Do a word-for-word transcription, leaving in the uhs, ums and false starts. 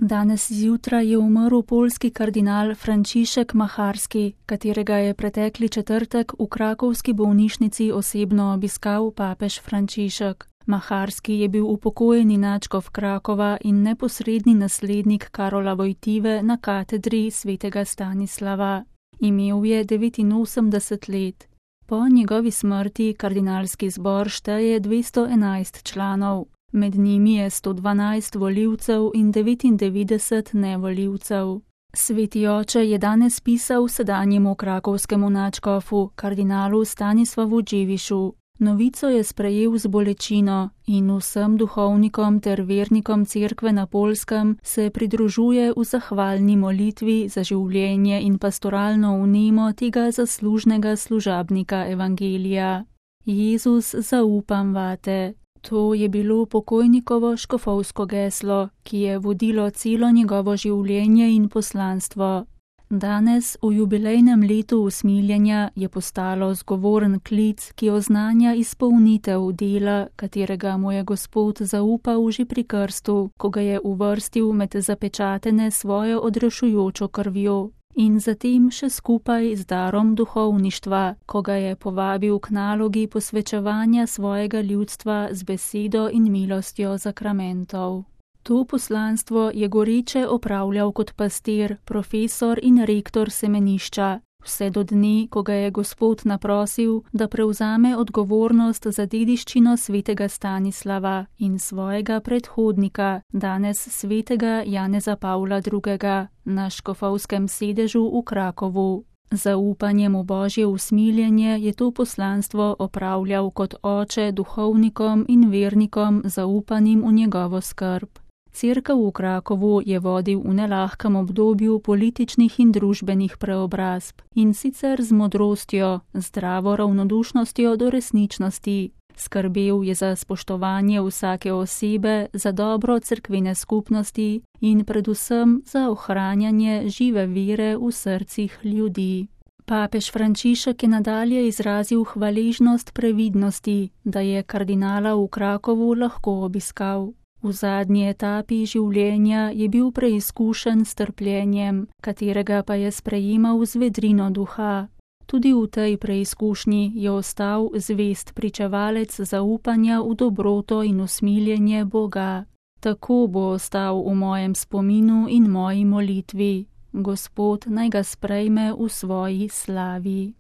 Danes zjutraj je umrl poljski kardinal Frančišek Macharski, katerega je pretekli četrtek v krakovski bolnišnici osebno obiskal papež Frančišek. Macharski je bil upokojeni nadškof Krakova in neposredni naslednik Karola Vojtive na katedri svetega Stanislava. Imel je devetinosemdeset let. Po njegovi smrti kardinalski zbor šteje dvesto enajst članov. Med njimi je sto dvanajst volivcev in devetindevetdeset nevolivcev. Sveti oče je danes pisal sedanjemu krakovskemu nadškofu, kardinalu Stanislavu Dževišu. Novico je sprejel z bolečino in vsem duhovnikom ter vernikom cerkve na Poljskem se pridružuje v zahvalni molitvi za življenje in pastoralno vnemo tega zaslužnega služabnika evangelija. Jezus, zaupam vate. To je bilo pokojnikovo škofovsko geslo, ki je vodilo celo njegovo življenje in poslanstvo. Danes, v jubilejnem letu usmiljenja, je postalo zgovoren klic, ki oznanja izpolnitev dela, katerega mu je Gospod zaupal že pri krstu, ko ga je uvrstil med zapečatene svojo odrešujočo krvjo. In zatem še skupaj z darom duhovništva, ko ga je povabil k nalogi posvečevanja svojega ljudstva z besedo in milostjo zakramentov. To poslanstvo je goreče opravljal kot pastir, profesor in rektor semenišča, vse do dne, ko ga je Gospod naprosil, da prevzame odgovornost za dediščino svetega Stanislava in svojega predhodnika, danes svetega Janeza Pavla drugega, na škofovskem sedežu v Krakovu. Zaupanjem v Božje usmiljenje je to poslanstvo opravljal kot oče duhovnikom in vernikom zaupanim v njegovo skrb. Cerkev v Krakovu je vodil v nelahkem obdobju političnih in družbenih preobrazb in sicer z modrostjo, zdravo ravnodušnostjo do resničnosti. Skrbel je za spoštovanje vsake osebe, za dobro cerkvene skupnosti in predvsem za ohranjanje žive vere v srcih ljudi. Papež Frančišek je nadalje izrazil hvaležnost previdnosti, da je kardinala v Krakovu lahko obiskal. V zadnji etapi življenja je bil preizkušen s trpljenjem, katerega pa je sprejemal z vedrino duha. Tudi v tej preizkušnji je ostal zvest pričevalec zaupanja v dobroto in usmiljenje Boga. Tako bo ostal v mojem spominu in moji molitvi. Gospod naj ga sprejme v svoji slavi.